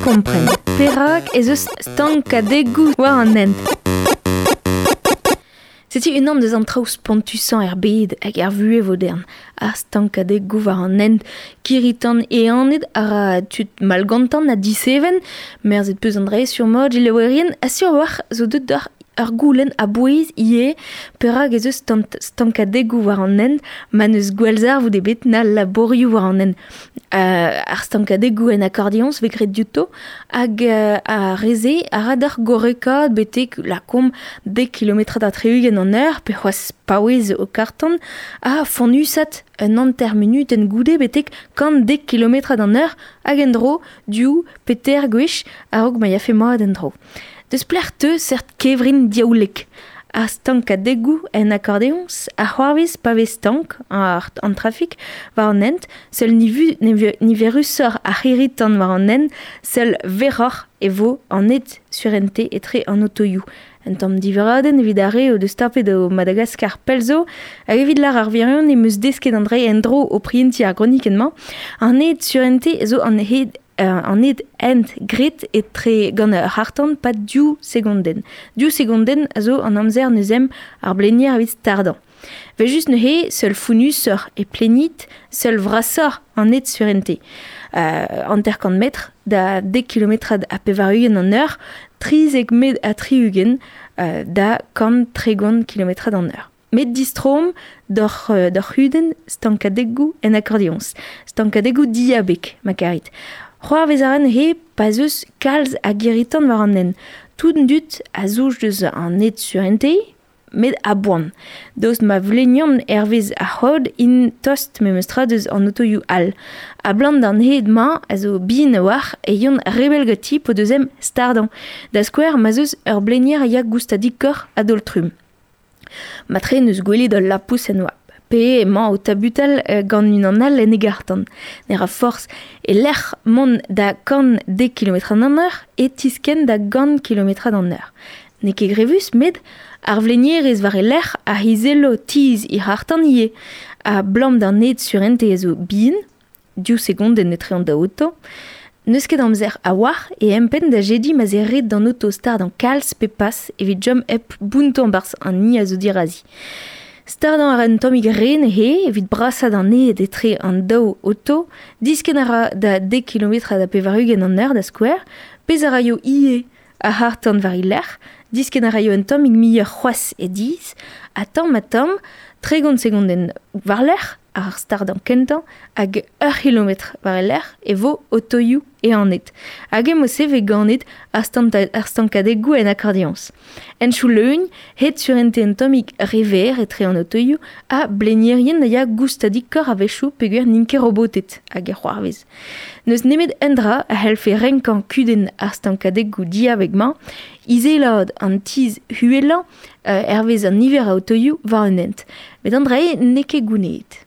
Evit kompren perak ez eus stankadegoù war an hent. Setu unan deus an traoù spontusañ er bed hag er vuhez vodern, ar stankadegoù war an hent, kirri-tan ehanet a ra tud malgantan ha diseven, merzet peus an dra-se sur mod jileouerien, ha sur a-walc'h zo deuet deoc'h ur goulenn a-bouez ivez, perak ez eus stankadegoù war an hent ma n'eus gwallzarvoud ebet na labourioù war an hent. Ar stankadegoù en akordeoñs vez graet diouto hag ar re-se a ra deoc'h gorrekaat betek lakaomp dek kilometrad ha tri-ugent an eur pe c'hoazh paouez ho karr-tan ha fonnusat un hanter munutenn goude betek 110 kilometrad an eur hag en-dro div pe teir gwech a-raok ma yafe mat en-dro. Deus pelec'h teu seurt kevrin diaoulek? Ar stankadegoù en akordeoñs a c'hoarvez pa vez stank an trafik war an hent, seul niverusoc'h ar c'hirri-tan war an hent, seul verroc'h e vo an hed surente etre an otoioù. Un tamm diveradenn evit ar re o deus tapet o Madagaskar pell zo, hag evit lâr ar wirionez em eus desket an dra en-dro o prientiñ ar gronikenn-mañ. An hed surente zo an hed an hed hent graet etre gant ur c'harr-tan pad div segondenn. Div segondenn a zo an amzer neuze ar blenier evit stardañ. Evel-just neuze, seul founnusoc'h e plenit, seul vrasoc'h an hed surente. 50 metr da dek kilometrad ha 80 an eur, 13 metr ha 60 da 130 kilometrad an eur. Met distroomp d'hor d'hor c'hudenn stankadegoù en akordeoñs. Stankadegoù diabeg, ma karit. C'hoarvez a ra neuze pa 'z eus kalz a girri-tan war an hent. Tout an dud a zouj deus an hed surente, met a-boan. Daoust ma vleniont hervez ar c'hod int tost memestra deus an otoioù all. A-blam d'an hed-mañ a zo bihan a-walc'h e yont rebell ganti p'o deus em stardañ. Da skouer ma'z eus ur blenier a ya goustadikoc'h a-daol-trumm. Matre n'eus gwelet ul lapous en oabl pe emañ o tabutal gant unan all en e garr-tan. Ne ra forzh e-lec'h mont da 110 kilometrad an eur e tiskenn da gant kilometrad an eur. N'eo ket grevus met ar vlenierez war e lerc'h a izello tizh he c'harr-tan ivez. A-blam d'an hed surentez a zo bihan, div segondenn etre an daou oto. N'eus ket amzer a-walc'h e empenn da jediñ ma'z eo ret d'an oto stardañ kalz pe pas evit chom hep bountañ 'barzh an hini a zo dirazi. Stardañ a ra un tammig re neuze evit brasaat an hed etre an daou oto, diskenn a ra da dek kilometrad ha 80 an eur da skouer, pezh a raio ivez ar c'harr-tan war e lerc'h, diskenn a raio un tammig muioc'h c'hoazh e dizh, ha tamm-ha-tamm, 30 segondenn war-lerc'h ar stardañ kentañ hag ur c'hilometr war e lerc'h e vo otoioù ehanet. Hag emo-se vez ganet ar stankadegoù en akordeoñs. Henchoù leun, hed surente un tammig re verr etre an otoioù ha blenierien a ya goustadikoc'h a-wechoù peogwir n'int ket roboted hag e c'hoarvez. N'eus nemet un dra a c'hellfe renkañ kudenn ar stankadegoù diabeg-mañ, izelaat an tizh uhelañ hervez an niver a otoioù war un hent. Met an dra-se n'eo ket gounezet.